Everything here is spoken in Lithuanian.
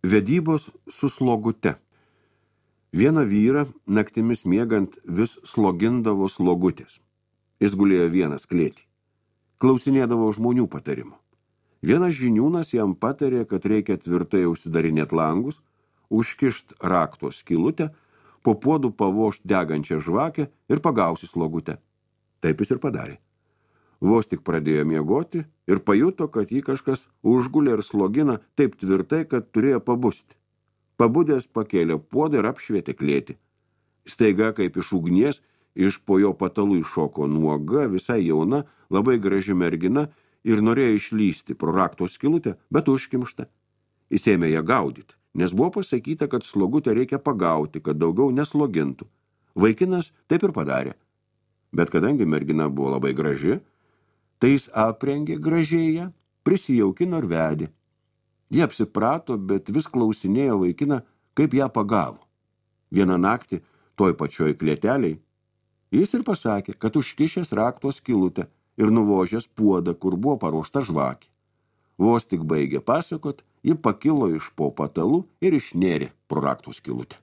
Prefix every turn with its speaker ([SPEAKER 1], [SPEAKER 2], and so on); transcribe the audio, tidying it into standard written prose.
[SPEAKER 1] Vedybos su slogute. Vieną vyrą naktimis miegant vis slogindavo slogutės. Jis gulėjo vienas klėtį. Klausinėdavo žmonių patarimų. Vienas žiniūnas jam patarė, kad reikia tvirtai užsidarinėti langus, užkišt rakto skylutę, po puodų pavošt degančią žvakę ir pagausi slogutę. Taip jis ir padarė. Vos tik pradėjo miegoti ir pajuto, kad jį kažkas užgulė ir slogina taip tvirtai, kad turėjo pabusti. Pabudęs pakėlė puodą ir apšvietė klėtį. Staiga, kaip iš ugnies, iš po jo patalų iššoko nuoga, visai jauna, labai graži mergina ir norėjo išlysti pro rakto skylutę, bet užkimšta. Jis ėmė ją gaudyti, nes buvo pasakyta, kad slogutę reikia pagauti, kad daugiau neslogintų. Vaikinas taip ir padarė. Bet kadangi mergina buvo labai graži, tai jis aprengė gražiai ją, prisijaukino ir vedė. Jie apsiprato, bet vis klausinėjo vaikiną, kaip ją pagavo. Vieną naktį, toj pačioj klėteliai, jis ir pasakė, kad užkišęs rakto skylutę ir nuvožęs puodą, kur buvo paruošta žvakė. Vos tik baigė pasakot, ji pakilo iš po patalų ir išnėrė pro rakto skylutę.